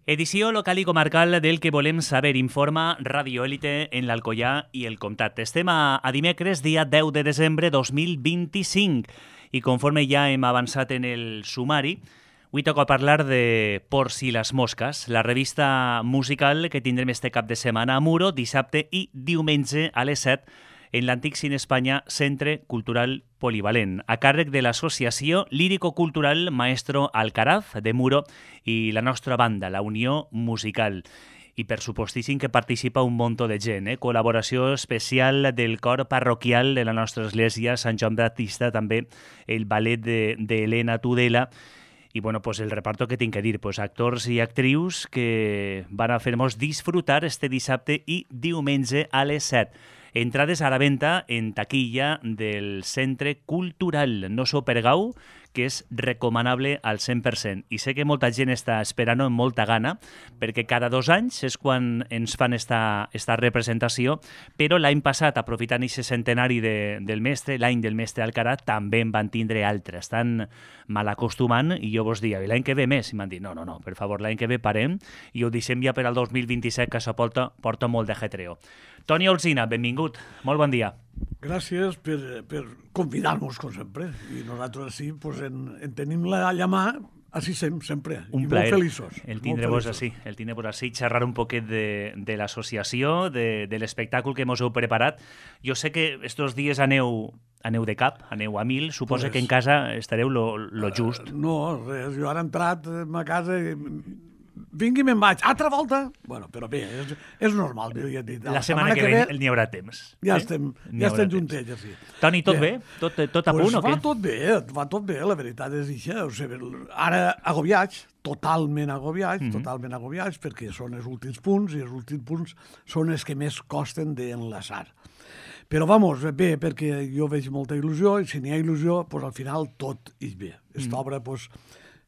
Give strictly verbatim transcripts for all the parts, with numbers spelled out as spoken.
Edició local i comarcal del que volem saber, informa Radio Élite en l'Alcoià i el Comtat. Estem a, a dimecres, dia deu de desembre dos mil vint-i-cinc, i conforme ja hem avançat en el sumari, avui toca parlar de Por si las moscas, la revista musical que tindrem este cap de setmana a Muro, dissabte i diumenge a les set, en l'antic Cine Espanya Centre Cultural Polivalent, a càrrec de l'associació lírico-cultural Maestro Alcaraz de Muro i la nostra banda, la Unió Musical. I per supostíssim que participa un munt de gent, eh? Col·laboració especial del cor parroquial de la nostra església, Sant Joan Baptista, també el ballet d'Helena Tudela, i bueno, pues el reparto que tinc que dir, pues actors i actrius que van a fer-nos disfrutar este dissabte i diumenge a les set. Entrades a la venda en taquilla del Centre Cultural. No s'ho pergau, que és recomanable al cent per cent. I sé que molta gent està esperant amb molta gana, perquè cada dos anys és quan ens fan esta, esta representació, però l'any passat, aprofitant aquest centenari de, del mestre, l'any del mestre Alcaraz, també en van tindre altres. Estan mal acostumant, i jo vos dia, l'any que ve més? I m'han dit, no, no, no, per favor, l'any que ve parem, i ho deixem ja per al dos mil vint-i-set, que això porta, porta molt de jetreo. Toni Olsina, benvingut. Molt bon dia. Gràcies per, per convidar-nos, com sempre. I nosaltres així pues, en, en tenim la llamà, així sem, sempre. Un I plaer. molt feliços. El tindre-vos així, el tindre-vos així, xerrar un poquet de, de l'associació, de, de l'espectacle que mos heu preparat. Jo sé que estos dies aneu, aneu de cap, aneu a mil, suposo pues, que en casa estareu lo, lo just. Uh, no, res, jo ara he entrat a casa i vinc i me'n vaig. Altra volta? Bueno, però bé, és, és normal. Ja dit. La, la setmana, setmana que, que ve, ve n'hi haurà temps. Ja eh? estem, ja estem juntets, així. Toni, tot bé? bé? Tot, tot a pues punt o què? Va tot bé, va tot bé, la veritat és això. O sigui, ara agobiats, totalment agobiats, mm -hmm. totalment agobiats, perquè són els últims punts, i els últims punts són els que més costen d'enlaçar. Però, vamos, bé, perquè jo veig molta il·lusió, i si n'hi ha il·lusió, pues, al final tot és bé. Aquesta mm. obra, pues,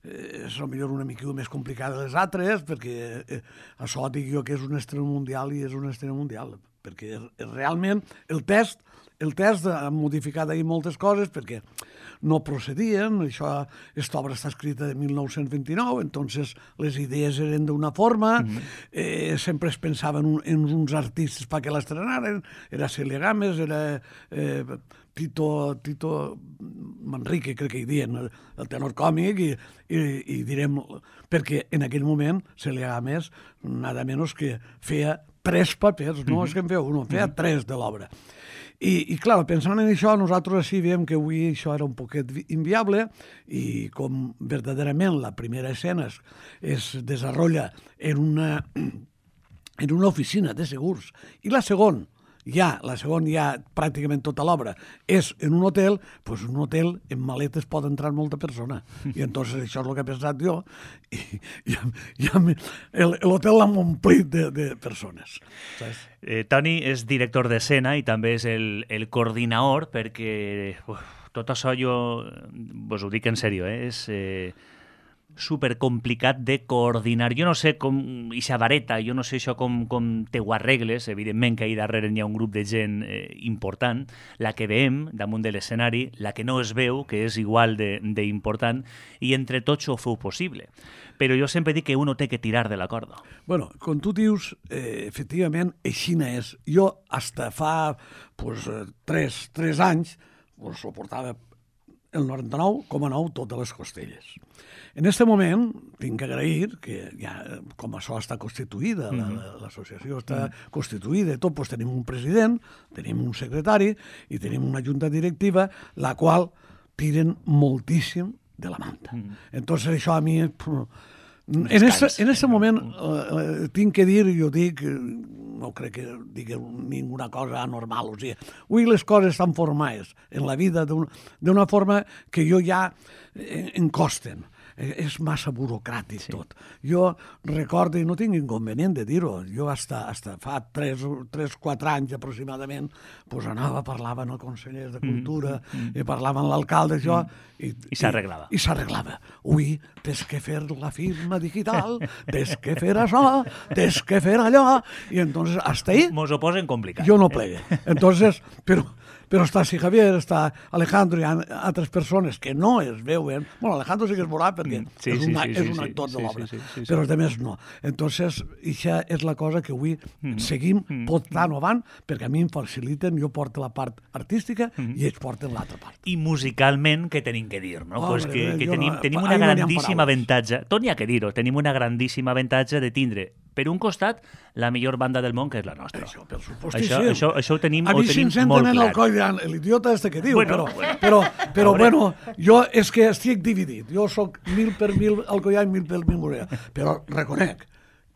és potser una mica més complicada de les altres, perquè eh, això dic jo que és un estrena mundial i és un estrena mundial, perquè realment el test, el test ha modificat ahir moltes coses perquè no procedien, això, aquesta obra està escrita de mil nou-cents vint-i-nou, entonces les idees eren d'una forma, mm-hmm. eh, sempre es pensava en, un, en uns artistes perquè l'estrenaren, era Celia Gámez, era eh, Tito, Tito Manrique, crec que hi diuen, el, el tenor còmic, i, i, i direm, perquè en aquell moment Celia Gámez, nada menys que feia tres papers, no mm-hmm. és que en feia un, feia mm-hmm. tres de l'obra. I, i clar, pensant en això, nosaltres així veiem que avui això era un poquet inviable, i com verdaderament la primera escena es, es desenvolupa en una, en una oficina de segurs, i la segona, ja, la segona ja pràcticament tota l'obra és en un hotel, doncs un hotel en maletes pot entrar molta persona, i entonces això és el que he pensat jo, i, i, i l'hotel l'hem omplit de, de persones, saps? Eh, Toni és director d'escena i també és el, el coordinador, perquè uf, tot això jo vos ho dic en sèrio, eh? és eh, supercomplicat de coordinar. Jo no sé com, ixa vareta, jo no sé això com, com te ho arregles, evidentment que ahí darrere hi ha un grup de gent eh, important, la que veiem damunt de l'escenari, la que no es veu, que és igual d'important, i entre tots ho feu possible. Però jo sempre dic que uno té que tirar de la corda. Bueno, com tu dius, eh, efectivament, aixina és. Jo, hasta fa pues, tres, tres anys, pues, soportava el noranta-nou coma nou totes les costelles. En aquest moment, tinc que agrair que ja, com això està constituïda, mm-hmm. l'associació està mm-hmm. constituïda, tot, doncs tenim un president, tenim un secretari i tenim una junta directiva, la qual tiren moltíssim de la manta. Mm-hmm. Entonces, això a mi... En aquest moment eh, tinc que dir, jo dic, no crec que digui ninguna cosa anormal, o sigui, avui les coses estan formades en la vida d'una forma que jo ja em costen. És massa burocràtic sí. tot. Jo recordo, i no tinc inconvenient de dir-ho, jo hasta, hasta fa tres o quatre anys aproximadament pues anava, parlava amb el conseller de Cultura, mm, mm, i parlava amb l'alcalde, això, mm, i, i s'arreglava. I, i s'arreglava. Ui, tens que fer la firma digital, tens que fer això, tens que fer allò, i entonces hasta ahí... Mos ho posen complicat. Jo no plegue. Entonces, però però està si Javier, està Alejandro i altres persones que no es veuen. Bueno, Alejandro sí que es veurà perquè mm, sí, és, una, sí, sí, és un actor sí, de l'obra, sí, sí, sí, sí, però els altres no. Entonces, això és la cosa que avui mm, seguim mm, portant avant, perquè a mi em faciliten, jo porto la part artística mm, i ells porten l'altra part. I musicalment, què tenim que dir, no? Oh, pues que, que tenim, no, tenim una grandíssima no avantatge, tot n'hi ha que dir-ho, tenim una grandíssima avantatge de tindre, per un costat, la millor banda del món, que és la nostra. Això, per supost, això, sí. això, això ho tenim, a ho mi tenim si molt clar. El coll diran, l'idiota este que diu, bueno, però, bueno. però, però bueno, jo és que estic dividit. Jo sóc mil per mil Alcoyà i mil per mil Morella. Però reconec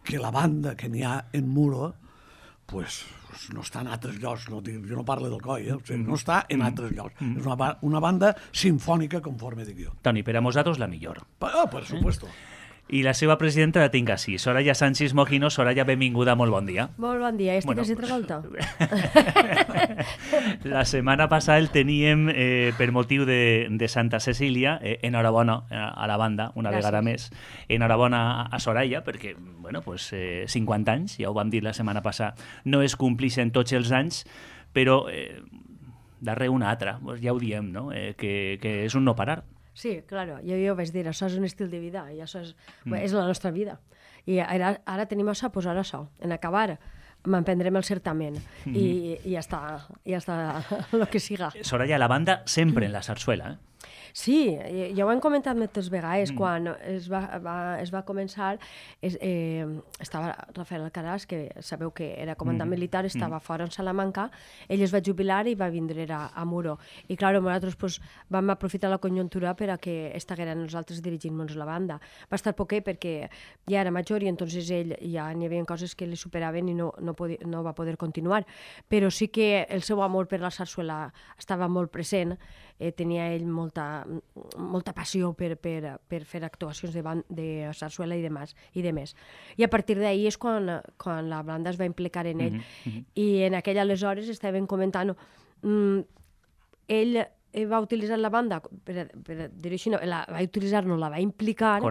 que la banda que n'hi ha en Muro, pues, no està en altres llocs, no, jo no parlo del coll, eh? O sigui, no està en altres llocs. Mm. És una, una banda sinfònica, conforme dic jo. Toni, per a nosaltres la millor. Oh, per supuesto. Eh? I la seva presidenta la tinc així. Soraya Sánchez Mojino. Soraya, benvinguda, molt bon dia. Molt bon dia, estic bueno, quasi Travolta. La setmana passada el teníem eh, per motiu de, de Santa Cecília. Eh, enhorabona a la banda, una Gràcies. Vegada més. Enhorabona a Soraya, perquè, bueno, pues, eh, cinquanta anys, ja ho vam dir la setmana passada, no es complixen tots els anys, però eh, darrere una altra, pues ja ho diem, no? Eh, que, que és un no parar. Sí, claro, jo, jo vaig dir, això és un estil de vida, i això és, mm. és la nostra vida. I ara, ara tenim això a posar això, en acabar, m'emprendrem el certamen, mm. i, i ja està, ja està el que siga. Soraya, la banda sempre en la sarsuela, eh? Sí, ja ho hem comentat moltes vegades, mm. quan es va, va, es va començar, es, eh, estava Rafael Alcaraz, que sabeu que era comandant mm. militar, estava mm. fora en Salamanca, ell es va jubilar i va vindre a, a Muro. I clar, nosaltres pues, vam aprofitar la conjuntura per a que estigueren nosaltres dirigint-nos la banda. Va estar poquet perquè ja era major i entonces ell ja n'hi havia coses que li superaven i no, no, podia, no va poder continuar. Però sí que el seu amor per la sarsuela estava molt present, eh, tenia ell molta, molta passió per, per, per fer actuacions de, band, de sarsuela i de, mas, i de més. I a partir d'ahir és quan, quan la banda es va implicar en ell. Mm-hmm. I en aquell aleshores estàvem comentant, mm, ell va utilitzar la banda, per, per dir-ho així, no, la, va utilitzar-nos, la va implicar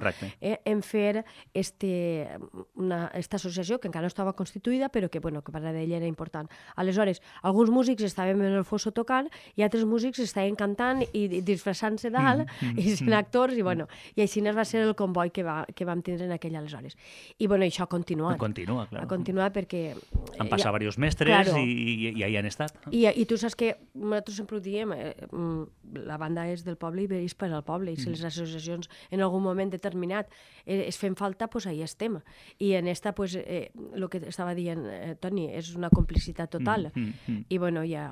eh, en fer este, una, esta associació que encara no estava constituïda, però que, bueno, que per a ell era important. Aleshores, alguns músics estaven en el fosso tocant i altres músics estaven cantant i disfressant-se dalt mm, mm, i sent actors, i, bueno, i així va ser el comboi que, va, que vam tindre en aquell aleshores. I, bueno, això ha continuat. Continua, clar. Ha continuat perquè... Han passat ja, diversos mestres claro, i, i, i ahí han estat. I, I tu saps que nosaltres sempre ho diem, eh, la banda és del poble i és per al poble, i si les associacions en algun moment determinat eh, es fem falta, doncs ahí estem. I en esta, pues, eh, el que estava dient eh, Toni, és una complicitat total. Mm, mm, mm. I bueno, ja...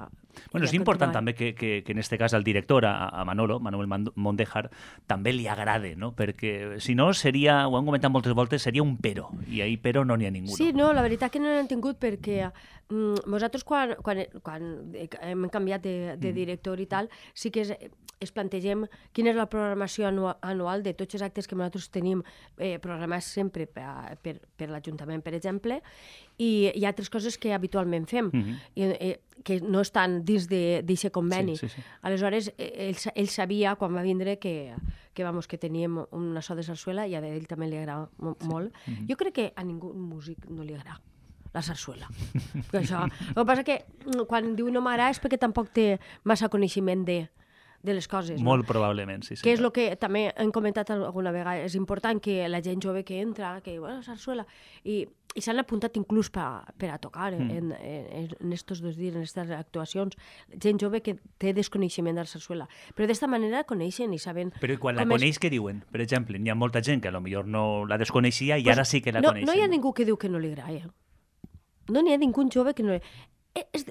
Bueno, ja és important també que, que, que en este cas al director, a, a Manolo, Manuel Mondejar, també li agrade, no? Perquè si no seria, ho hem comentat moltes voltes, seria un pero, i ahí pero no n'hi ha ningú. Sí, no, la veritat que no n'hem tingut perquè mm, nosaltres quan, quan, quan hem canviat de, de director i tal, sí que es, es plantegem quina és la programació anual, anual de tots els actes que nosaltres tenim eh, programats sempre per, per, per l'Ajuntament, per exemple, i hi ha altres coses que habitualment fem, mm-hmm. i, eh, que no estan dins d'aquest conveni. Sí, sí, sí. Aleshores, ell, ell sabia, quan va vindre, que, que, vamos, que teníem una so de sarsuela, i a ell també li agrada molt. Sí. Mm-hmm. Jo crec que a ningú músic no li agrada la sarsuela. Això. El que passa que quan diu no m'agrada és perquè tampoc té massa coneixement de... de les coses. Molt no? probablement, sí. Que és el que també hem comentat alguna vegada. És important que la gent jove que entra, que diu, bueno, sarsuela, i, i s'han apuntat inclús per, per a tocar mm. en, en, en estos dos dies, en aquestes actuacions, gent jove que té desconeixement de la sarsuela. Però d'esta manera coneixen i saben... Però i quan la coneix, és... què diuen? Per exemple, hi ha molta gent que potser no la desconeixia i pues, ara sí que la no, coneixen. No hi ha ningú que diu que no li agrada. No n'hi ha ningú jove que no li... És,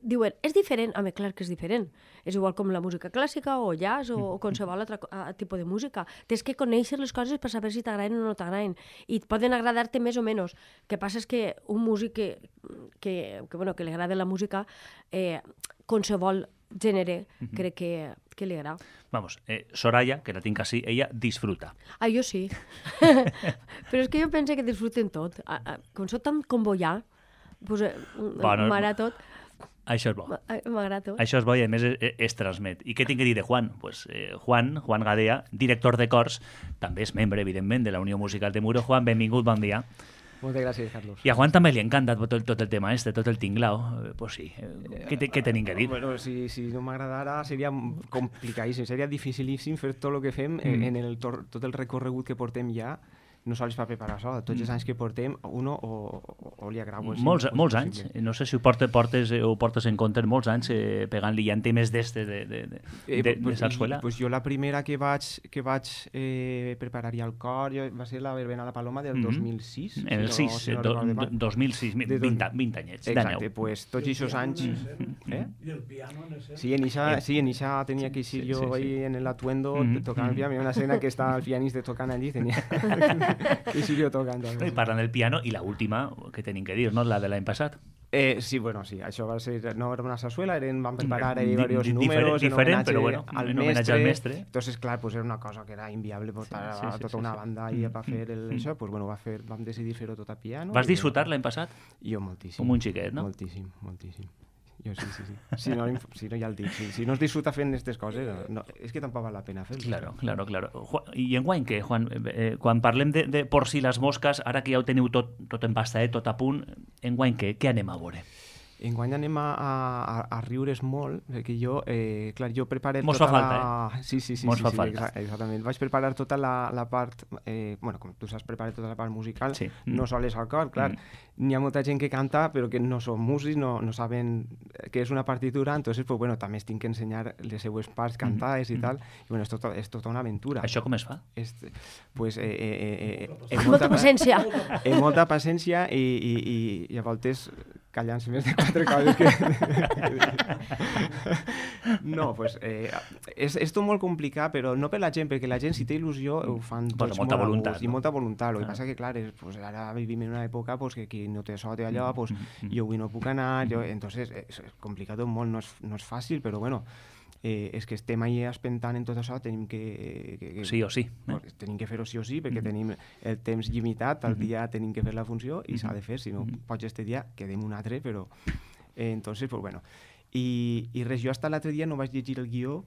diuen, és diferent? Home, clar que és diferent. És igual com la música clàssica o jazz o, o qualsevol altre tipus de música. Tens que conèixer les coses per saber si t'agraden o no t'agraden. I poden agradar-te més o menys. El que passa és que un músic que, que, que, bueno, que li agrada la música, eh, qualsevol gènere, uh-huh. crec que, que li agrada. Vamos, eh, Soraya, que la tinc així, ella disfruta. Ah, jo sí. Però és que jo penso que disfruten tot. Com soc tan convoyà, pues, eh, bueno, m'agrada tot. Això és bo. M'agrada tot. Això és bo i a més es, es transmet. I què tinc que dir de Juan? Pues, eh, Juan, Juan Gadea, director de cors, també és membre, evidentment, de la Unió Musical de Muro. Juan, benvingut, bon dia. Moltes gràcies, Carlos. I a Juan també li encanta tot, tot el tema este, tot el tinglao. Eh, pues sí, eh, què, te, què tenim que dir? Bueno, si, si no m'agradara seria complicadíssim, seria dificilíssim fer tot el que fem mm. en el, tot el recorregut que portem ja, no sols per preparar això, tots els anys que portem, uno o, o, o li agrada. Molts, molts anys, no sé si ho portes, portes, ho portes en compte, molts anys eh, pegant-li ja en temes d'estes de, de, de, eh, de, pues, de sarsuela. Pues jo la primera que vaig, que vaig eh, preparar al cor jo, va ser la verbena a la Paloma del mm -hmm. dos mil sis. En el sis, si no, si no do, do, dos mil sis, vint, vint anyets. Exacte, pues tots aquests anys... Mm. Eh? I el piano en ese... Sí, en Ixa, sí, en Ixa tenia que ir sí, jo sí, sí, ahí sí. en el atuendo mm -hmm. tocant el piano, hi ha una escena que està el pianista tocant allí, tenia que ir jo tocant. No, i parlant del piano, i la última que tenim que dir, no? La de l'any passat. Eh, sí, bueno, sí, això va ser, no era una sarsuela, eren, van preparar ahí Di, varios di, números diferent, en però bueno, al en homenatge al mestre. Entonces, clar, pues era una cosa que era inviable portar sí, sí, sí, tota sí, una sí. banda ahí mm, per fer el, mm, això, pues bueno, va fer, vam decidir fer-ho tot a piano. Vas disfrutar l'any passat? Jo moltíssim. Com un xiquet, no? Moltíssim, moltíssim. Jo sí, sí, sí. Si no, si no ja el dic, si, si no es disfruta fent aquestes coses, no, és que tampoc val la pena fer-ho. Claro, claro, claro. I en guany què, Juan? Eh, quan parlem de, de por si les mosques, ara que ja ho teniu tot, tot empastadet, tot a punt, en guany què? Què anem a veure? Enguany anem a, a, a riure's molt, perquè jo, eh, clar, jo preparé Mos tota fa falta, la... eh? Sí, sí, sí, Mos sí, fa sí, falta. Exa exactament. Vaig preparar tota la, la part, eh, bueno, com tu saps, preparar tota la part musical, sí. no sols al cor, clar, mm. n'hi ha molta gent que canta però que no són músics, no, no saben què és una partitura, entonces, pues, bueno, també es tinc que ensenyar les seues parts cantades mm. i tal, i bueno, és tota, és tota una aventura. Això com es fa? És, pues, eh, eh, eh, eh, molta paciència. Eh, molta paciència i, i, i, i a voltes callant-se més de quatre coses que... no, pues, eh, és, és tot molt complicat, però no per la gent, perquè la gent, si té il·lusió, ho fan tots molta molt voluntat, gust, no? I molta voluntat. El que ah. passa que, clar, és, pues, ara vivim en una època pues, que qui no té so té allò, pues, mm. jo avui no puc anar, jo... entonces és complicat molt, no és, no és fàcil, però bueno, eh, és que estem ahí espentant en tot això, tenim que... que, que sí o sí. Eh? Tenim que fer-ho sí o sí, perquè mm. tenim el temps limitat, al dia tenim que fer la funció i s'ha de fer, si no pots este dia, quedem un altre, però... Eh, entonces, pues bueno... I, i res, jo hasta l'altre dia no vaig llegir el guió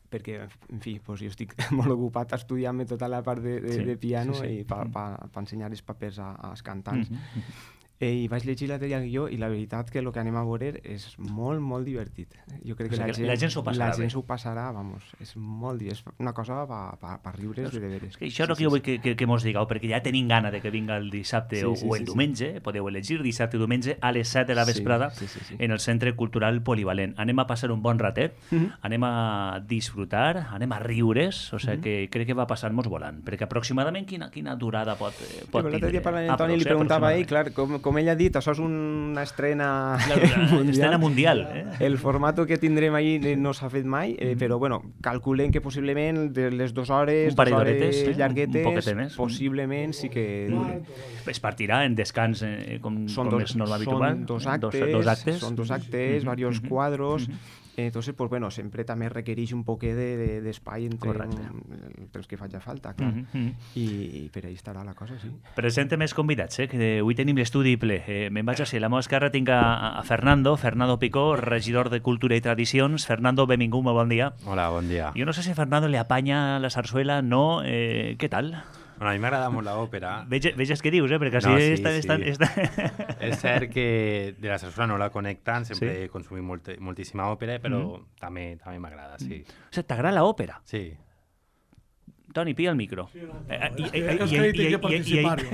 perquè, en fi, pues jo estic molt ocupat estudiant-me tota la part de, de, sí, de piano sí, sí. i per pa, pa ensenyar els papers a, als cantants. Mm-hmm. Eh, I vaig llegir l'altre dia el guió i la veritat que el que anem a veure és molt, molt divertit. Jo crec que, o sigui, la, gent, la gent s'ho passarà la gent bé. s'ho passarà, vamos, és molt és una cosa per pa, pa riure's de veres. Això és el que jo vull que, que, que mos digueu, perquè ja tenim gana de que vinga el dissabte sí, o, sí, o el sí, diumenge, sí. Podeu elegir dissabte o diumenge a les set de la vesprada sí, sí, sí, sí. en el Centre Cultural Polivalent. Anem a passar un bon ratet, mm-hmm. anem a disfrutar, anem a riure's, o sigui mm-hmm. que crec que va passar-nos volant, perquè aproximadament quina, quina durada pot, pot sí, tindre? L'altre dia parlant amb Toni li preguntava a ell, clar, com, com ell ha dit, això és una estrena mundial. Estrena mundial eh? El formato que tindrem ahí no s'ha fet mai, eh, però bueno, calculem que possiblement de les dues hores, un parell d'horetes eh? llarguetes, un possiblement sí que dure. Es partirà en descans eh, com, són com dos, és normal habitual. Són dos actes, dos, dos actes. Són dos actes, mm-hmm. varios mm-hmm. cuadros. Mm-hmm. Entonces, pues bueno, sempre també requereix un poquet d'espai de, de, entre el temps que faci falta, clar. Mm-hmm. I, I per ahí estarà la cosa, sí. Presente més convidats, eh? Que avui tenim l'estudi ple. Eh, Me'n vaig a ser, a la meva esquerra tinc a, a Fernando, Fernando Picó, regidor de Cultura i Tradicions. Fernando, benvingut, molt bon dia. Hola, bon dia. Jo no sé si a Fernando le apanya la zarzuela, no. Eh, què tal? Bueno, a mi m'agrada molt l'òpera. Veges què dius, eh? Perquè així no, sí, està, sí. està, està... És cert que de la sarsuela no la connecten, sempre sí? he consumit molt, moltíssima òpera, però mm. també també m'agrada, sí. O sigui, t'agrada l'òpera? Sí. Toni, pilla el micro. És que hi tinc que participar-hi.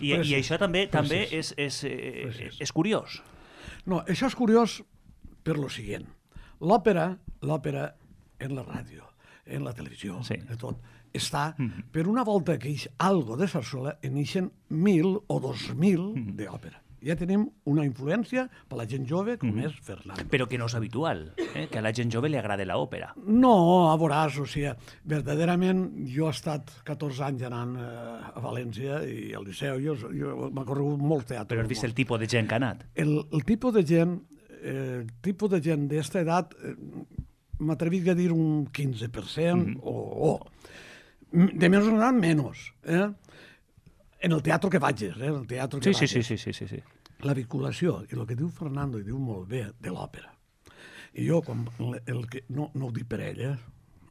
I això també també és, és, és curiós. No, això és curiós per lo siguient. L'òpera, l'òpera en la ràdio, en la televisió, sí. de tot, està, mm-hmm. per una volta que ix algo de sarsuela, en ixen mil o dos mil mm-hmm. d'òpera. Ja tenim una influència per la gent jove, com mm-hmm. és Fernando. Però que no és habitual, eh? Que a la gent jove li agrada l'òpera. No, a veuràs, o sigui, verdaderament, jo he estat catorze anys anant eh, a València i al Liceu, jo, jo m'ha corregut molt teatre. Però has vist el tipus de gent que ha anat? El, el tipus de gent, eh, el tipus de gent d'esta edat, eh, m'atrevic a dir un quinze per cent mm-hmm. o, o de menys o menys, eh? En el teatre que vagis, eh? El teatre que sí, vagis. Sí, sí, sí, sí, sí. La vinculació, i el que diu Fernando, i diu molt bé, de l'òpera. I jo, quan el que, no, no ho dic per ell, eh?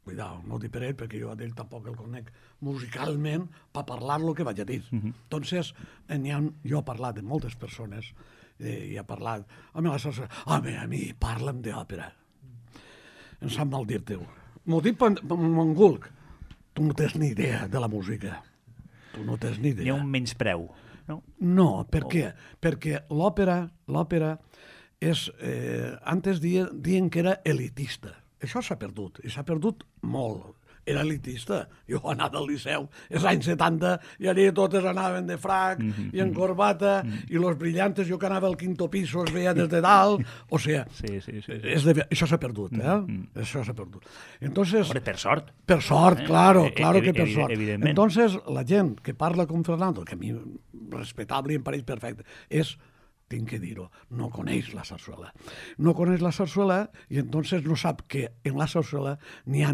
Cuidao, no ho dic per ell, perquè jo a ell tampoc el conec musicalment per parlar el que vaig a dir. Uh -huh. Entonces, n'hi ha, jo he parlat amb moltes persones eh, i he parlat... Home, la sarsuela... Home, a mi, parla'm d'òpera. Em sap mal dir-te-ho. M'ho dic per mongulc. Tu no tens ni idea de la música. Tu no tens ni idea. Hi ha un menyspreu, no? No, per oh. què? Perquè l'òpera, l'òpera és... Eh, antes dien, dien que era elitista. Això s'ha perdut, i s'ha perdut molt. Era elitista. Jo anava al Liceu, els anys setanta, i allà totes anaven de frac mm -hmm. i en corbata, mm -hmm. i los brillantes, jo que anava al quinto piso es veia des de dalt, o sigui, sí, sí, sí. És de, això s'ha perdut, eh? Mm -hmm. Això s'ha perdut. Entonces, Hombre, per sort. Per sort, eh? claro, claro eh, que per evi sort. Evidentment. Entonces, la gent que parla com Fernando, que a mi respectable i em pareix perfecte, és... tinc que dir-ho, no coneix la sarsuela. No coneix la sarsuela i entonces no sap que en la sarsuela n'hi ha,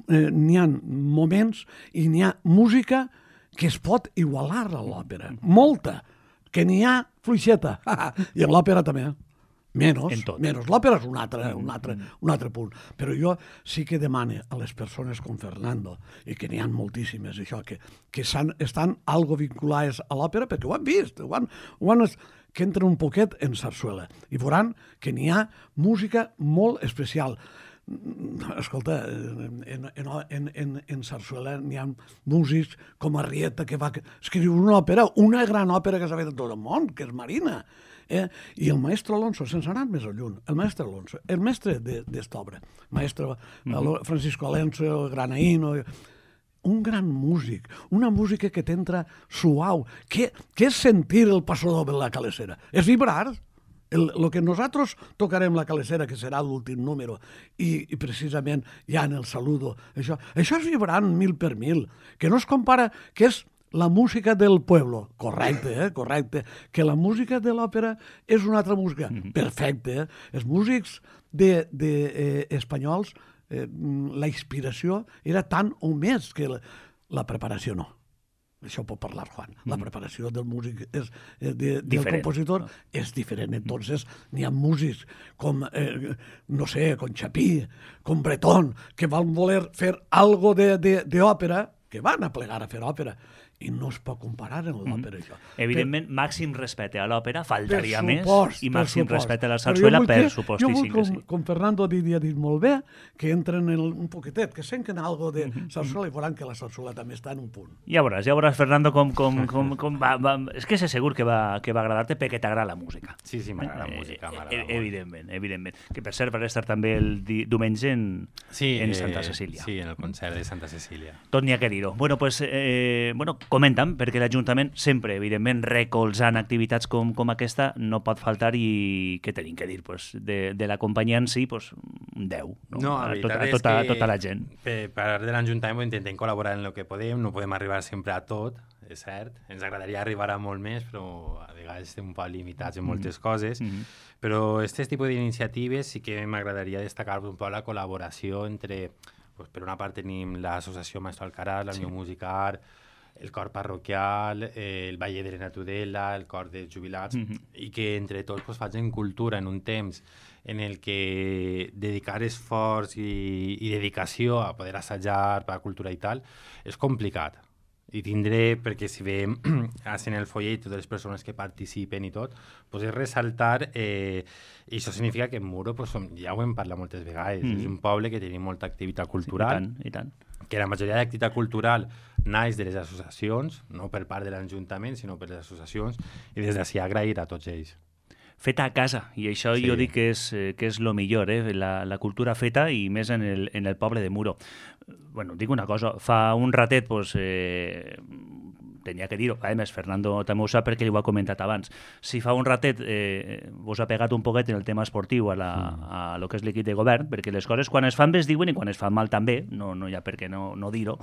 eh, n'hi ha moments i n'hi ha música que es pot igualar a l'òpera. Molta. Que n'hi ha fluixeta. I en l'òpera també. Menos, menos. L'òpera és un altre, un, altre, un altre punt. Però jo sí que demane a les persones com Fernando, i que n'hi ha moltíssimes, això, que, que estan algo vinculades a l'òpera, perquè ho han vist, ho han... Ho han que entren un poquet en sarsuela i veuran que n'hi ha música molt especial. Escolta, en, en, en, en, en sarsuela n'hi ha músics com Arrieta, que va escriure una òpera, una gran òpera que s'ha fet a tot el món, que és Marina. Eh? I el maestre Alonso, sense anar més lluny, el maestre Alonso, el mestre d'esta obra, maestre mm-hmm. Francisco Alonso, Granaíno... un gran músic, una música que t'entra suau. Què, què és sentir el passo doble de la calesera? És vibrar. El, el que nosaltres tocarem la calesera, que serà l'últim número, i, i precisament ja en el saludo, això, això és vibrant mil per mil, que no es compara, que és la música del pueblo. Correcte, eh? Correcte. Que la música de l'òpera és una altra música. Perfecte, eh? Els músics de, de, eh, espanyols, Eh, la inspiració era tant o més que la, la preparació no. Això pot parlar Juan. La preparació del músic és, de, del diferent, compositor no? és diferent. Entonces n'hi ha músics com, eh, no sé, com Chapí, com Breton, que van voler fer algo d'òpera, que van a plegar a fer òpera, i no es pot comparar amb l'òpera, això. Evidentment, per... màxim respecte a l'òpera, faltaria més, supost, i màxim supost. respecte a la sarsuela, per supostíssim jo vull, que com, sí. Com Fernando havia dit molt bé, que entren en un poquetet, que senten algo de sarsuela i veuran que la sarsuela també està en un punt. Ja veuràs, ja veuràs, Fernando, com, com, com, com va, va... És que sé segur que va, que va agradar-te perquè t'agrada la música. Sí, sí, m'agrada la música, m'agrada eh, molt. Evidentment, evidentment. Que per cert, va estar també el di diumenge en, sí, en eh, Santa Cecília. Sí, en el concert de Santa Cecília. Tot n'hi ha que dir-ho. Bueno, pues, eh, bueno, comenta'm, perquè l'Ajuntament sempre, evidentment, recolzant activitats com, com aquesta, no pot faltar, i què tenim que dir? Pues, de, de la companyia en si, pues, un deu. No, no a, a, tot, a, és tota, que tota la gent. Per part de l'Ajuntament intentem col·laborar en el que podem, no podem arribar sempre a tot, és cert. Ens agradaria arribar a molt més, però a vegades estem un poc limitats en moltes mm. coses. Mm -hmm. Però aquest tipus d'iniciatives sí que m'agradaria destacar un poc la col·laboració entre... Pues, per una part tenim l'associació Maestro Alcaraz, la Unió sí. Musical, el cor parroquial, eh, el Valle de la Tudela, el cor de jubilats, mm-hmm. i que entre tots pues, facin cultura en un temps en el que dedicar esforç i, i dedicació a poder assajar per la cultura i tal és complicat. I tindré, perquè si veiem en el follet totes les persones que participen i tot, pues és ressaltar, eh, i això significa que en Muro, pues, som, ja ho hem parlat moltes vegades, mm. és un poble que tenim molta activitat cultural, sí, i tant, i tant. Que la majoria d'activitat cultural naix de les associacions, no per part de l'Ajuntament, sinó per les associacions, i des d'ací agrair a tots ells. Feta a casa, i això sí. jo dic que és, que és lo millor, eh? la, la cultura feta, i més en el, en el poble de Muro. Bueno, dic una cosa, fa un ratet, pues, eh, tenia que dir-ho, a més, Fernando també ho sap perquè li ho ha comentat abans, si fa un ratet eh, vos ha pegat un poquet en el tema esportiu a, la, a lo que és l'equip de govern, perquè les coses quan es fan bé es diuen i quan es fan mal també, no, no hi ha per què no, no dir-ho.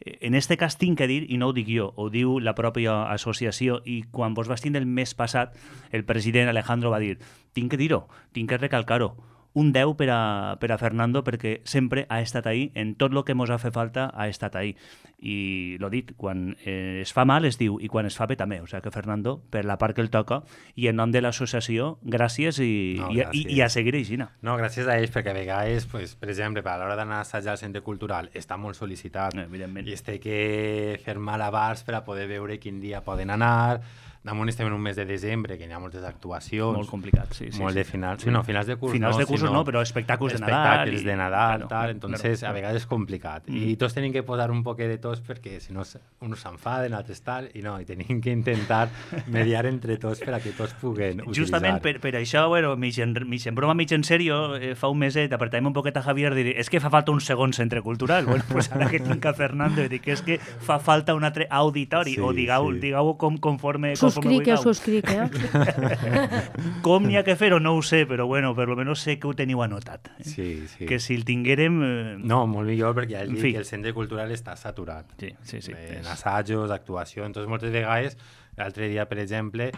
En este cas tinc que dir, i no ho dic jo, ho diu la pròpia associació, i quan vos vas tindre el mes passat, el president Alejandro va dir, tinc que dir-ho, tinc que recalcar-ho, un deu per a, per a Fernando, perquè sempre ha estat ahí, en tot el que mos ha fet falta ha estat ahí. I l'ho dit, quan eh, es fa mal es diu, i quan es fa bé també. O sigui que Fernando, per la part que el toca, i en nom de l'associació, gràcies i, No, i, gràcies. i, i a seguir així. No, gràcies a ells, perquè a vegades, pues, per exemple, a l'hora d'anar a assajar al centre cultural, està molt sol·licitat. Evidentment. I es té que fer malabars per a poder veure quin dia poden anar. Damunt estem en un mes de desembre, que hi ha moltes actuacions. Molt complicat, sí. sí molt sí. de finals, sí, no, finals de curs Finals no, de cursos sinó no, però espectacles de Nadal. Espectacles i- de Nadal, claro, tal, entonces claro, a vegades és complicat. Mm. I tots tenim que posar un poquet de tos perquè si no s- uns s'enfaden, altres tal, i no, i tenim que intentar mediar entre tots per a que tots puguen utilitzar. Justament per, per això, bueno, mig en, mig en broma, mig en sèrio, eh, fa un meset apretarem un poquet a Javier i dir, és que fa falta un segon centre cultural. Bueno, pues ara que tinc a Fernando i dic que és que fa falta un altre auditori, Sí, o digueu, sí. digueu com, conforme, conforme Subscric, eh, vulgueu. subscric, eh? Com n'hi ha que fer-ho no ho sé, però bueno, per lo menos sé que ho teniu anotat. Eh? Sí, sí. Que si el tinguérem... Eh... No, molt millor, perquè ja En dic fi. que el centre cultural està saturat. Sí, sí, sí. En És- assajos, actuació, entonces moltes vegades, l'altre dia, per exemple,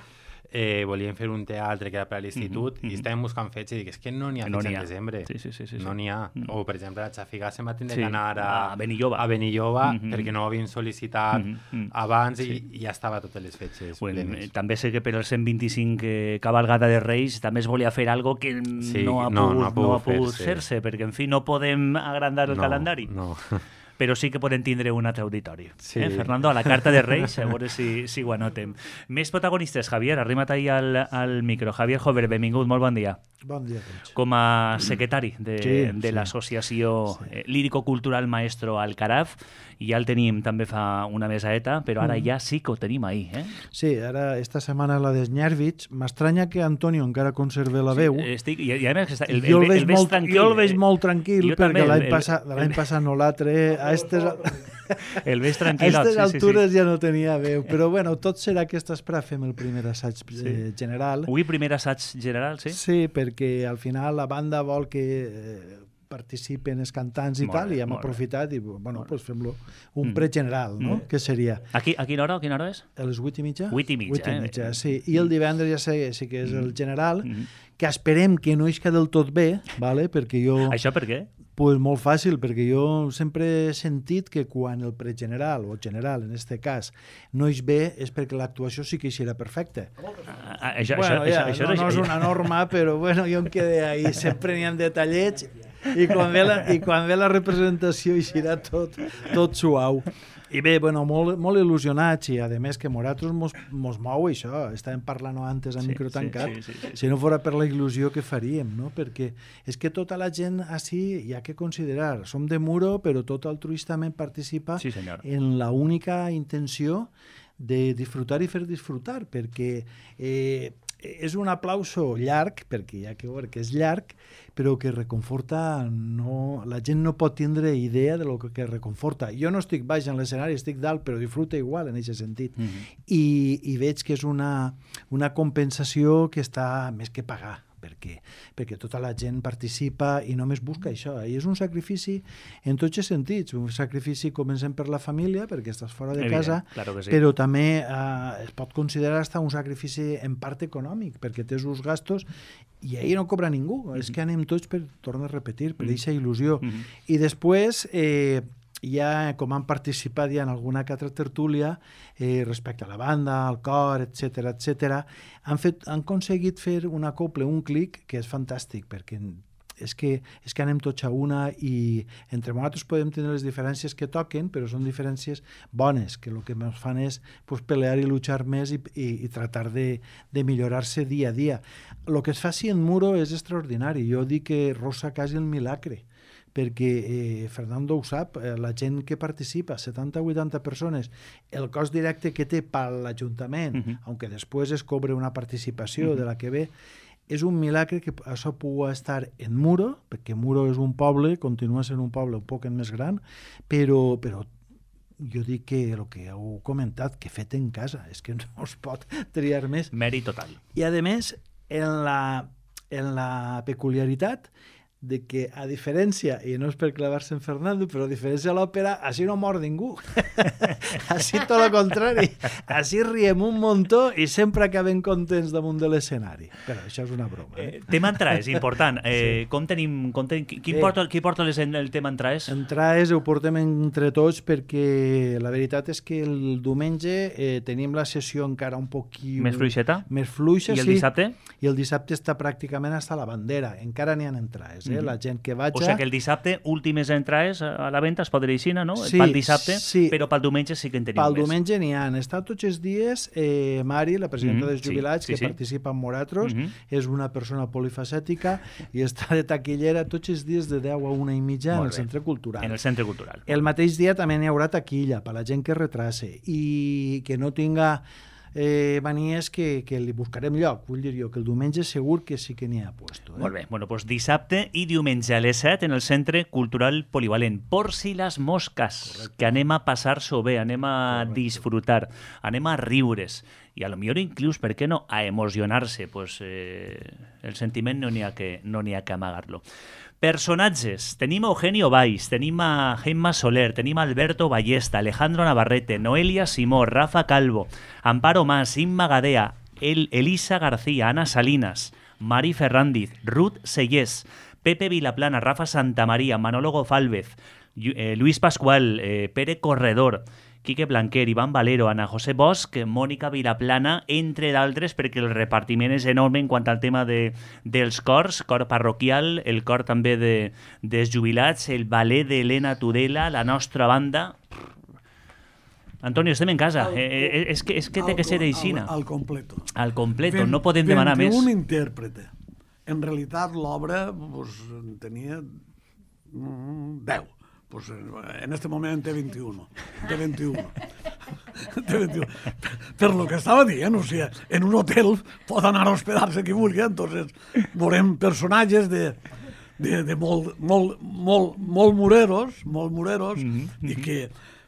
eh, volíem fer un teatre que era per a l'institut Mhm, mhm. i estàvem buscant fetge i dic, és que no n'hi ha No fetge n'hi en ha. desembre. Sí, sí, sí, sí, sí. No n'hi ha. Mm. O, per exemple, la Xafiga se'n va tindre Sí, que anar a, a Benilloba. a Benilloba Mhm. perquè no ho havien sol·licitat Mhm, mhm. abans i, Sí. i ja estava totes les fetges Bueno, eh, plenes. també sé que per el cent vint-i-cinc eh, cabalgada de Reis també es volia fer algo que Sí, no ha no, pogut, no ha pogut no ha pogut fer-se. fer-se, perquè, en fi, no podem agrandar el No, calendari. No. Però sí que podem tindre un altre auditori. Sí. Eh, Fernando, a la carta de Reis, a veure si, si ho anotem. Més protagonistes, Javier, arrima't ahí al, al micro. Javier Jover, benvingut, molt bon dia. Bon dia a tots. Com a secretari de, Sí, de sí. l'associació eh, lírico-cultural Maestro Alcaraz, i ja el tenim també fa una mesaeta, però ara ja sí que ho tenim ahí. Eh? Sí, ara esta setmana la d'Snyarvich. M'estranya que Antonio encara conserve la veu. Estic, i, i a més, està, el, jo, el, el veig el veig molt, tranquil. jo el veig eh? molt tranquil Jo també, perquè l'any el- passat, el- l'any passat no l'altre, a estes, a El veig tranquil. aquestes sí, sí, altures sí. ja no tenia veu. Però bueno, tot serà que esta espera fem el primer assaig eh, general. Avui primer assaig general, sí? Sí, perquè al final la banda vol que eh, participen els cantants i Molt tal, bé, i hem molt bé. aprofitat i bueno, pues fem-lo un Mm. pregeneral, no? Mm. Que seria A, qui, a quina hora? A quina hora és? a les vuit i mitja? Vuit i mitja, Vuit i eh? mitja, sí. I el divendres ja sé, sí que és el general, Mm. que esperem que no isca del tot bé, vale? Perquè jo... Això per què? Pues molt fàcil, perquè jo sempre he sentit que quan el pregeneral, o general en este cas, no és bé, és perquè l'actuació sí que serà perfecta. Ah, això, Bueno, això, ja, això, no, això, no és una norma, però bueno, jo em quedé ahí, sempre n'hi ha detallets, i quan ve la, i quan ve la representació hi serà tot, tot suau. I bé, bueno, molt, molt il·lusionats, i a més que nosaltres mos, mos mou això, estàvem parlant antes a Sí, micro sí, tancat, sí, sí, sí, sí. si no fora per la il·lusió que faríem, no? Perquè és que tota la gent així hi ha que considerar, som de Muro, però tot altruistament participa Sí, senyor. en la única intenció de disfrutar i fer disfrutar, perquè eh, és un aplauso llarg, perquè hi ha que veure que és llarg, però que reconforta, no, la gent no pot tindre idea de lo que, que reconforta. Jo no estic baix en l'escenari, estic dalt, però disfruta igual en aquest sentit. Mm -hmm. I, i veig que és una, una compensació que està més que pagar, perquè, perquè tota la gent participa i només busca això. I és un sacrifici en tots els sentits. Un sacrifici comencem per la família, perquè estàs fora de Evident, casa, claro que sí. però també eh, es pot considerar hasta un sacrifici en part econòmic, perquè tens uns gastos i ahir no cobra ningú. Mm -hmm. És que anem tots per, tornar a repetir, per aquesta il·lusió. Mm -hmm. I després... Eh, ja com han participat ja en alguna que altra tertúlia eh, respecte a la banda, al cor, etcètera, etcètera, han, fet, han aconseguit fer un acople, un clic, que és fantàstic, perquè és que, és que anem tots a una i entre nosaltres podem tenir les diferències que toquen, però són diferències bones, que el que ens fan és pues, pelear i luchar més i, i, i tratar de, de millorar-se dia a dia. El que es faci en Muro és extraordinari. Jo dic que rosa quasi el milagre, perquè eh, Fernando ho sap, eh, la gent que participa, setanta a vuitanta persones, el cost directe que té per l'Ajuntament, uh -huh. aunque després es cobre una participació uh -huh. de la que ve, és un milagre que això pugui estar en Muro, perquè Muro és un poble, continua sent un poble un poc més gran, però, però jo dic que el que heu comentat, que fet en casa, és que no es pot triar més. Mèrit total. I a més, en la, en la peculiaritat de que, a diferència, i no és per clavar-se en Fernando, però a diferència de l'òpera, així no mor ningú. Així tot el contrari. Així riem un muntó i sempre acabem contents damunt de l'escenari. Però això és una broma. Eh? Eh, tema entraes, important. Eh, sí. Com tenim... Com ten... Qui, qui, Eh, porta, qui porta les, el tema entraes? Entraes ho portem entre tots perquè la veritat és que el diumenge eh, tenim la sessió encara un poquí... Més fluixeta? Més fluixa, I el sí. dissabte? I el dissabte està pràcticament hasta la bandera. Encara n'hi ha entrades. Eh? La gent que vaja... O sigui que el dissabte, últimes entrades a la venda es pot dir així, no? Sí, pel dissabte, sí. però pel diumenge sí que en tenim Pel més. diumenge n'hi ha. Està tots els dies eh, Mari, la presidenta Mhm, dels jubilats, sí, sí, que sí. participa amb Moratros, Mhm. és una persona polifacètica i està de taquillera tots els dies de deu a una i mitja en Molt el bé. Centre Cultural. En el Centre Cultural. El mateix dia també n'hi haurà taquilla per la gent que retrase i que no tinga eh, manies que, que li buscarem lloc. Vull dir jo que el diumenge segur que sí que n'hi ha puesto. Eh? Molt bé, bueno, doncs dissabte i diumenge a les set en el Centre Cultural Polivalent. Por si les mosques, correcte, que anem a passar-s'ho bé, anem a correcte, disfrutar, anem a riure's i a lo millor inclús, per què no, a emocionar-se. Pues, eh, el sentiment no n'hi ha que, no n'hi ha que amagar-lo. Personatges. Tenim a Eugenio Valls, tenim a Gemma Soler, tenim a Alberto Ballesta, Alejandro Navarrete, Noelia Simó, Rafa Calvo, Amparo Mas, Imma Gadea, El Elisa García, Ana Salinas, Mari Ferrandiz, Ruth Sellés, Pepe Vilaplana, Rafa Santamaría, Manolo Gofálvez, eh, Luis Pascual, eh, Pere Corredor, Quique Blanquer, Iván Valero, Ana José Bosch, Mònica Vilaplana, entre d'altres, perquè el repartiment és enorme en quant al tema de, dels cors, cor parroquial, el cor també de, dels jubilats, el ballet d'Helena Tudela, la nostra banda... Antonio, estem en casa. Al, eh, eh, és que, és que té que ser aixina. Al, al completo. Al completo, Ven, no podem demanar més. un intèrprete. En realitat, l'obra pues, tenia mm, deu. Pues en este moment en té vint-i-un. Té vint-i-un. té vint-i-un. Per, per lo que estava dient, o sigui, en un hotel pot anar a hospedar-se qui vulgui, entonces veurem personatges de, de, de molt, molt, molt, molt mureros, molt mureros, mm-hmm. i que,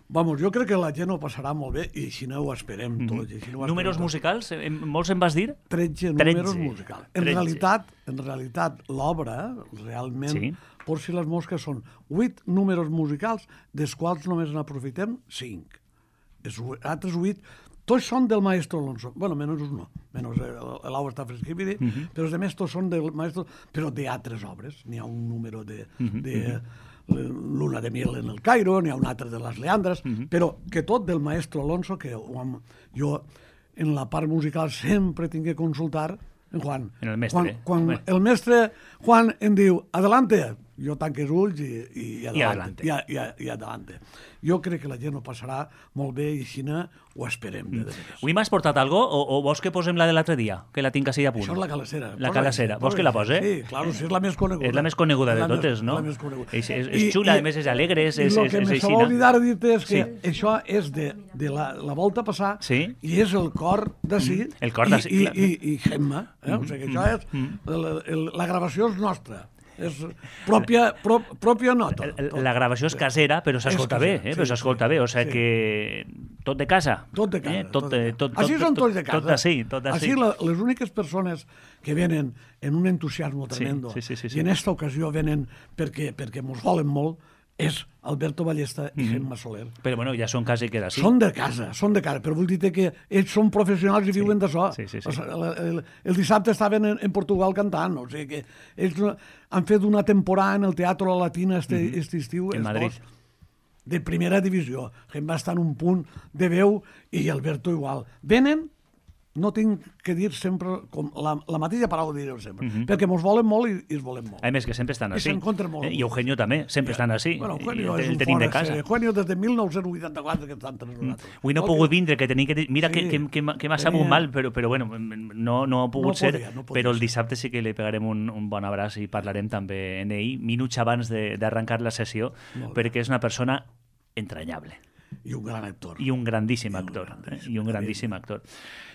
vamos, jo crec que la gent ho passarà molt bé i si no ho esperem tots. Mm-hmm. Si no ho Números tots. musicals? En, molts en vas dir? tretze números musicals. En tretze. realitat, en realitat l'obra, realment, Sí. Por si les mosques són vuit números musicals, dels quals només n'aprofitem cinc. Els altres vuit, tots són del maestro Alonso. Bueno, menys un no, menys l'Au està fresquibiri, uh -huh. però els altres tots són del maestro, però d'altres obres. N'hi ha un número de, uh -huh. de Luna de Miel en el Cairo, n'hi ha un altre de les Leandres, uh -huh. però que tot del maestro Alonso, que jo en la part musical sempre tinc que consultar en Juan. En el mestre. Quan, quan el mestre Juan em diu adelante, jo tanque els ulls i, i, i adelante. I, i, i, i adelante. Jo crec que la gent ho passarà molt bé i si no, ho esperem. De Avui m'has portat algo o, o vols que posem la de l'altre dia? Que la tinc així a punt. Això és la calassera. La calassera. Vols que la pose? Sí, clar, si és la més coneguda. És la més coneguda de la totes, més, no? La més coneguda. És, és, és xula, a més és alegre, és, és, I el és, que és me així, s'ha oblidat dir-te és que sí. això és de, de la, la volta passar sí. i és el cor d'ací mm. el cor d'ací, i, clar. i, i, i Gemma. Eh? Mm. O sigui que això és... Mm. La, la, la gravació és nostra. És pròpia, prop, pròpia nota. La, la gravació és casera, però s'escolta bé, eh? Sí, però s'escolta sí, bé, o sigui sí. que tot de casa. Tot de casa. Eh? Tot, tot de casa. tot, Així tot, són tot, tots de casa. Tot d'ací, tot d'ací. Així la, les úniques persones que venen en un entusiasmo tremendo sí, sí, sí, sí. i en aquesta ocasió venen perquè, perquè mos volen molt és Alberto Ballesta i mm-hmm. Gemma Soler. Però bueno, ja són quasi que d'ací. Són de casa, són de casa, però vull dir que ells són professionals i sí. viuen d'això. Sí, sí, sí. El, el, el dissabte estaven en, en Portugal cantant, o sigui que ells han fet una temporada en el Teatro Latina este, mm-hmm. este estiu. En Madrid. Dos, de primera divisió. Gemma està en un punt de veu i Alberto igual. Venen, no tinc que dir sempre, com la, la mateixa paraula diré sempre, mm-hmm. perquè mos volen molt i, i es volen molt. A més que sempre estan I així. s'encontren molt. Eh, I Eugenio també, sempre estan així. Bueno, Eugenio I és el un tenim de fora casa. sèrie. Eugenio des de mil nou-cents vuitanta-quatre que estan entre nosaltres. Avui no he pogut vindre, que tenia que dir... Mira sí. que, que, que, que m'ha sabut mal, però, però bueno, no, no ha pogut no ser, podia, no però el ser. dissabte sí que li pegarem un, un bon abraç i parlarem també en ell, minuts abans d'arrencar la sessió, perquè és una persona entranyable. i un gran actor. I un grandíssim actor. Eh? I un grandíssim actor.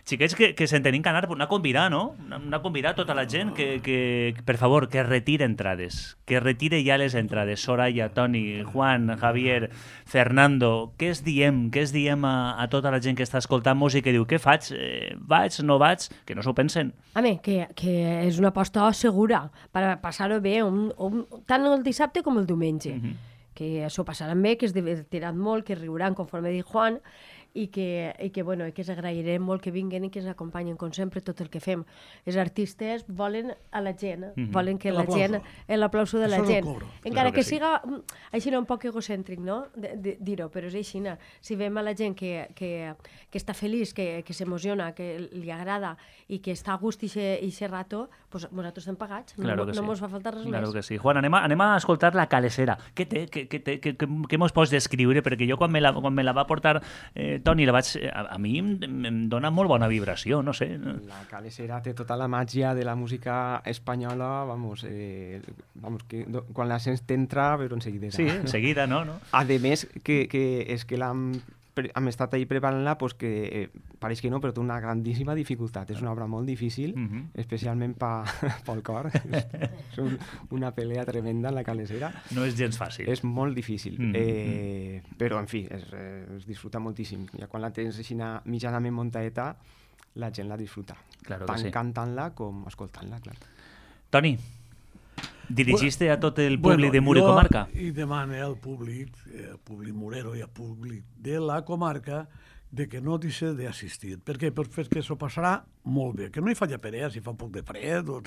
Xiquets, que, que se'n tenim que anar, anar a convidar, no? Anar a convidar tota la gent que, que, per favor, que retire entrades. Que retire ja les entrades. Soraya, Toni, Juan, Javier, Fernando, què es diem? Què es diem a, a tota la gent que està escoltant-nos i que diu, què faig? Eh, vaig, no vaig? Que no s'ho pensen. Home, que, que és una aposta segura per passar-ho bé un, un, tant el dissabte com el diumenge. Mm-hmm. Que s'ho passaran bé, que es divertiran molt, que riuran, conforme diu Juan, i que, i que, bueno, i que s'agrairem molt que vinguen i que ens acompanyen, com sempre, tot el que fem. Els artistes volen a la gent, mm-hmm. volen que la gent... L'aplauso de la gent. Encara claro que, que sí. siga així un poc egocèntric, no?, dir-ho, però és així. Si veiem a la gent que, que, que està feliç, que, que s'emociona, que li agrada i que està a gust i aquest rato, pues nosaltres estem pagats. Claro no que no sí. mos fa falta res claro més. Que sí. Juan, anem a, anem a escoltar La Calesera. Què té? Què, què, què, què, què mos pots descriure? Perquè jo quan me la, quan me la va portar eh, Toni, la vaig, a, a mi em, em dona molt bona vibració, no sé. La Calesera té tota la màgia de la música espanyola, vamos, eh, vamos que do, quan la sents t'entra, però en seguida. Sí, en seguida, no? no? A més, que, que és que l'hem hem estat ahí preparant-la, pues que eh, pareix que no, però té una grandíssima dificultat. És una obra molt difícil, uh-huh. especialment pa, pel cor. És un, una pelea tremenda, La Calesera. No és gens fàcil. És molt difícil. Uh-huh. eh, però, en fi, es, es disfruta moltíssim. Ja quan la tens així mitjanament muntaeta, la gent la disfruta. Claro tant sí. cantant-la com escoltant-la, clar. Toni, dirigiste a tot el bueno, públic de Mur i Comarca? I demane al públic, eh, al públic murero i al públic de la comarca, de que no deixi d'assistir. Per què? Perquè s'ho passarà molt bé. Que no hi faci perea, si fa un poc de fred o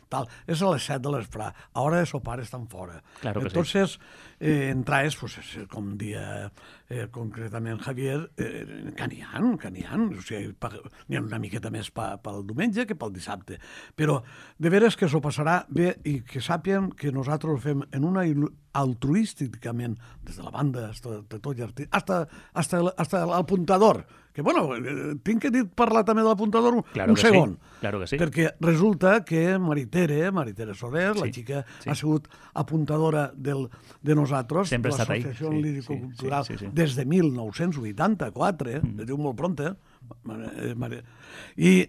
tal. És a les set de l'esprà. A hora de sopar estan fora. Claro que Entonces, sí. eh, entraes, pues, com dia eh, concretament Javier, eh, que n'hi ha, que n'hi ha. O sigui, n'hi ha una miqueta més pa, pel diumenge que pel dissabte. Però de veres que s'ho passarà bé i que sàpien que nosaltres ho fem en una altruísticament, des de la banda, hasta, de tot artista, hasta, hasta, el, hasta l'apuntador, que, bueno, eh, tinc que dir parlar també de l'apuntador un, claro un segon, sí. claro que sí. perquè resulta que Maritere, Maritere Soler, sí. la xica, sí. ha sigut apuntadora del, de nosaltres, sempre de l'Associació sí. Lírico-Cultural, sí, sí, sí, sí. des de mil nou-cents vuitanta-quatre, mm. es diu molt pronta, eh, i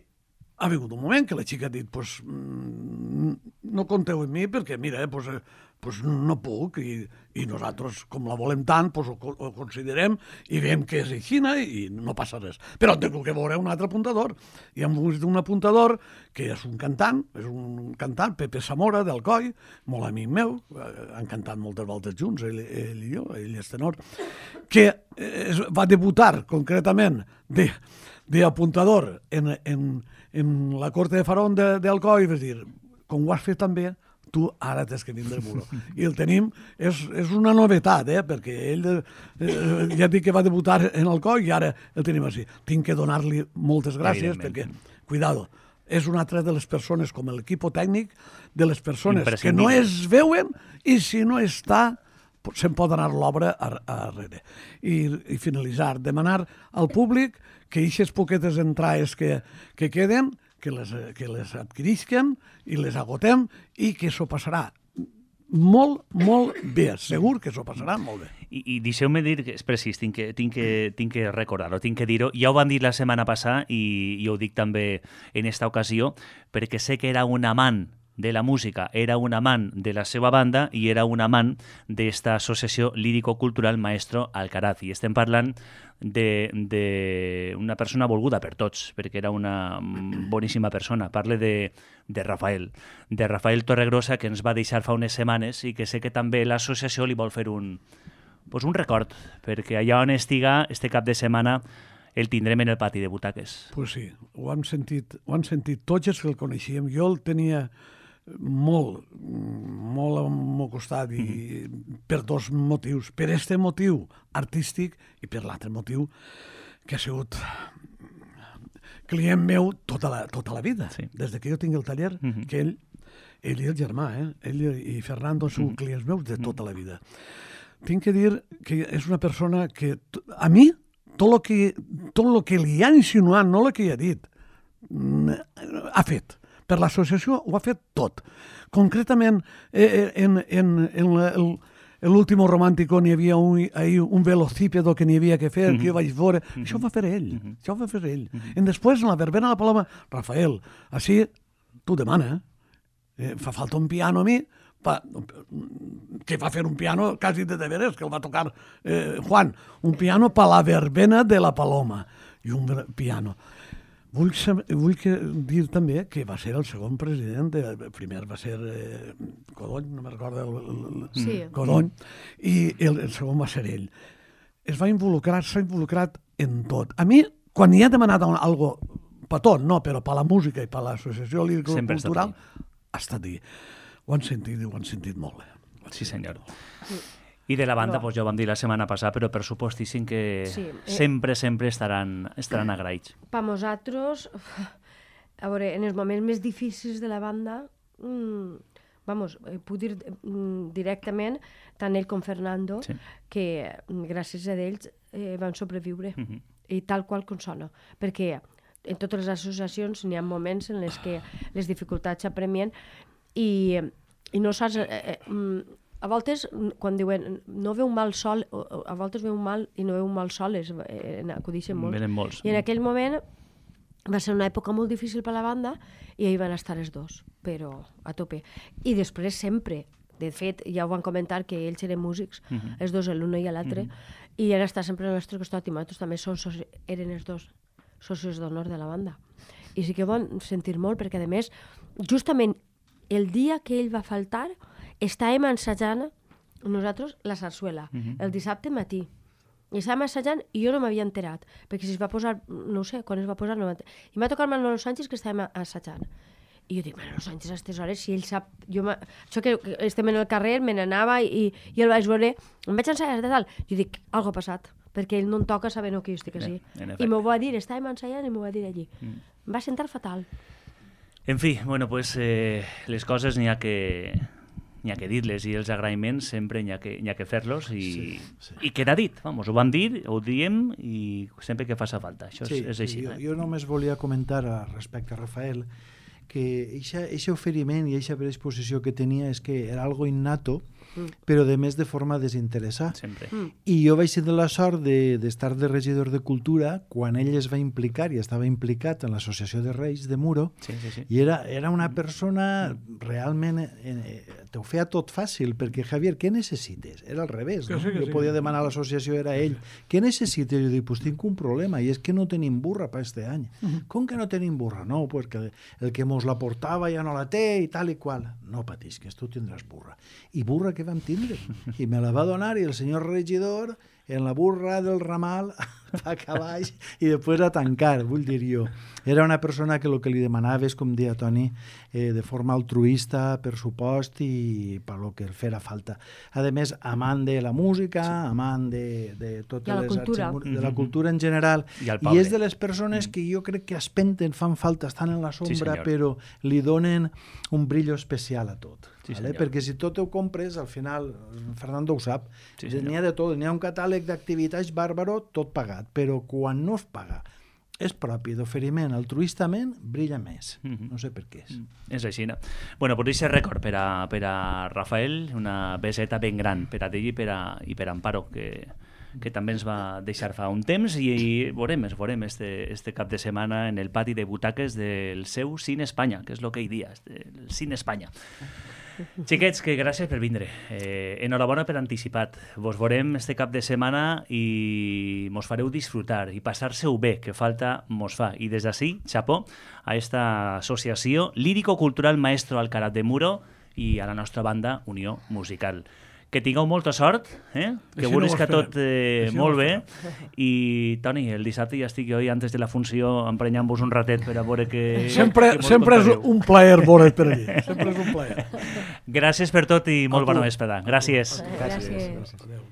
ha vingut un moment que la xica ha dit, pues, no compteu amb mi perquè, mira, eh, pues, pues no puc, i, i nosaltres, com la volem tant, pues ho, ho considerem i veiem que és així i no passa res. Però tengo que veure un altre apuntador. I hem vist un apuntador que és un cantant, és un cantant, Pepe Zamora, d'Alcoi, molt amic meu, han cantat moltes voltes junts, ell, ell i jo, ell és tenor, que es, va debutar concretament de, de apuntador en, en, en la Corte de Farón d'Alcoi, és dir, com ho has fet també, tu ara tens que vindre muro. I el tenim, és, és una novetat, eh? Perquè ell, eh, ja dic que va debutar en Alcoi i ara el tenim així. Tinc que donar-li moltes gràcies perquè, cuidado, és una altra de les persones, com l'equip tècnic, de les persones que no es veuen i si no està, se'n pot anar l'obra arrere. I, i finalitzar, demanar al públic que aquestes poquetes entrades que, que queden, que les, que les adquirisquen i les agotem i que s'ho passarà molt, molt bé. Segur que s'ho passarà molt bé. I, i deixeu-me dir que és precís, tinc que, tinc que, tinc que recordar-ho, tinc que dir-ho. Ja ho van dir la setmana passada i, i ho dic també en esta ocasió, perquè sé que era un amant de la música, era un amant de la seva banda i era un amant d'esta associació lírico-cultural Maestro Alcaraz. I estem parlant d'una persona volguda per tots, perquè era una boníssima persona. Parle de, de Rafael, de Rafael Torregrosa, que ens va deixar fa unes setmanes i que sé que també l'associació li vol fer un, pues un record, perquè allà on estiga este cap de setmana el tindrem en el pati de butaques. Pues sí, ho han sentit, ho han sentit tots els que el coneixíem. Jo el tenia molt, molt al meu costat i mm-hmm. per dos motius. Per este motiu artístic i per l'altre motiu que ha sigut client meu tota la, tota la vida. Sí. Des que jo tinc el taller, mm-hmm. que ell, ell i el germà, eh? ell i Fernando són mm-hmm. clients meus de tota la vida. Tinc que dir que és una persona que a mi tot el que, tot lo que li ha insinuat, no el que hi ha dit, ha fet. Per l'associació ho ha fet tot. Concretament, eh, en, en, en, el, l'último romàntico n'hi havia un, ahir un velocípedo que n'hi havia que fer, Mhm. que jo vaig veure. Mhm. Això ho va fer ell, Mhm. això ho va fer ell. Mhm. I després, en la verbena de la Paloma, Rafael, així tu demana, eh, fa falta un piano a mi, pa, que va fer un piano quasi de deberes, que el va tocar eh, Juan, un piano per la verbena de la Paloma, i un ver- piano. Vull, sab- vull que, dir també que va ser el segon president, de, el primer va ser eh, Codony, no me'n recordo, el, el, el, Sí. Codony, i el, el segon va ser ell. Es va involucrar, s'ha involucrat en tot. A mi, quan hi ha demanat algo per tot, no, però per la música i per l'associació Sempre ha estat lírico-cultural, ha estat ahí. Ho han sentit i ho han sentit molt bé. Sí, senyor. I de la banda, Però- pues, ja ho vam dir la setmana passada, però per supostíssim que Sí, eh. sempre, sempre estaran, estaran agraïts. Per nosaltres, a veure, en els moments més difícils de la banda, mmm, vamos, eh, puc dir mm, directament, tant ell com Fernando, Sí. que mm, gràcies a ells eh, van sobreviure, Mhm. i tal qual com sona, perquè en totes les associacions n'hi ha moments en les que les dificultats s'apremien i, i no saps... Eh, eh, mm, a voltes, mm, quan diuen no veu un mal sol, o- o a voltes veu un mal i no veu un mal sol, és, eh, acudixen molt. Venen molts. I en aquell moment va ser una època molt difícil per la banda i ahir van estar els dos, però a tope. I després sempre, de fet, ja ho van comentar que ells eren músics, Mhm. els dos, l'un i l'altre, i han estat sempre al nostre costat i nosaltres també som soci... eren els dos socis d'honor de la banda. I sí que ho van sentir molt perquè, a més, justament el dia que ell va faltar estàvem ensajant nosaltres la sarsuela, Mhm. el dissabte matí. I estàvem assajant i jo no m'havia enterat, perquè si es va posar, no ho sé, quan es va posar, no m'ha enterat. I m'ha tocat Manolo Sánchez que estàvem assajant. I jo dic, Manolo Sánchez, a aquestes hores, si ell sap... Jo m'ha- això que, que estem en el carrer, me n'anava i, i el vaig veure, em vaig ensaiar de tal. Jo dic, algo ha passat, perquè ell no em toca sabent que jo estic així. En I efecte. m'ho va dir, estàvem ensaiant i m'ho va dir allí. Mm. Em va sentar fatal. En fi, bueno, pues, eh, les coses n'hi ha que n'hi ha que dir-les i els agraïments sempre n'hi ha que, n'hi ha que fer-los i, Sí, sí. i queda dit, vamos, ho vam dir, ho diem i sempre que faça falta, això Sí, és, és així. sí, jo, eh? jo només volia comentar a, respecte a Rafael que aquest oferiment i aquesta predisposició que tenia és que era algo innato, Mm. però de més de forma desinteressada. Sempre. Mm. I jo vaig tenir la sort de- d'estar de, de regidor de Cultura quan ell es va implicar i estava implicat en l'Associació de Reis de Muro, Sí, sí, sí. i era, era una persona realment... Eh, eh, te ho feia tot fàcil, perquè, Javier, què necessites? Era al revés, Que no? sí, que Jo sí. podia demanar a l'associació, era ell. Què necessites? Jo dic, pues tinc un problema, i és que no tenim burra per este any. Com que no tenim burra? No, perquè el que mos la portava ja no la té i tal i qual. No patisques, tu tindràs burra. I burra que vam tindre? I me la va donar i el senyor regidor en la burra del ramal a cavall i després a tancar, vull dir jo. Era una persona que el que li demanava és, com deia Toni, eh, de forma altruista, per supost i per lo que el fera falta. A més, amant de la música, sí. amant de, de totes De la les cultura. arts, de la cultura en general, I al i poble. és de les persones que jo crec que espenten, fan falta, estan en la sombra, senyor. però li donen un brillo especial a tot. Sí, vale? senyor. Perquè si tot ho compres, al final, Fernando ho sap, Sí, n'hi senyor. ha de tot, n'hi ha un catàleg d'activitats bàrbaro, tot pagat, però quan no es paga, és propi d'oferiment altruistament, brilla més. Mhm. No sé per què és. És així, no? Bueno, pues aquest record per a, per a Rafael, una beseta ben gran per a ell i per a, i per a Amparo, que, que també ens va deixar fa un temps i, i veurem, es veurem este, este cap de setmana en el pati de butaques del seu Cine Espanya, que és el que hi dia, este, el Cine Espanya. Xiquets, que gràcies per vindre. Eh, enhorabona per anticipat. Vos veurem este cap de setmana i mos fareu disfrutar i passar-se-ho bé, que falta mos fa. I des d'ací, xapó, a esta associació lírico-cultural Maestro Alcaraz de Muro i a la nostra banda Unió Musical. Que tingueu molta sort, eh? que Així vulguis no ho que esperem. tot eh, Així no molt ho bé. I, Toni, el dissabte ja estic jo i antes de la funció emprenyant-vos un ratet per a veure que... Sempre, que mos sempre és contareu. un plaer veure't per allí. Sempre és un plaer. Gràcies per tot i molt A tu. bona vesprada. Gràcies. Gràcies. Gràcies. Adéu.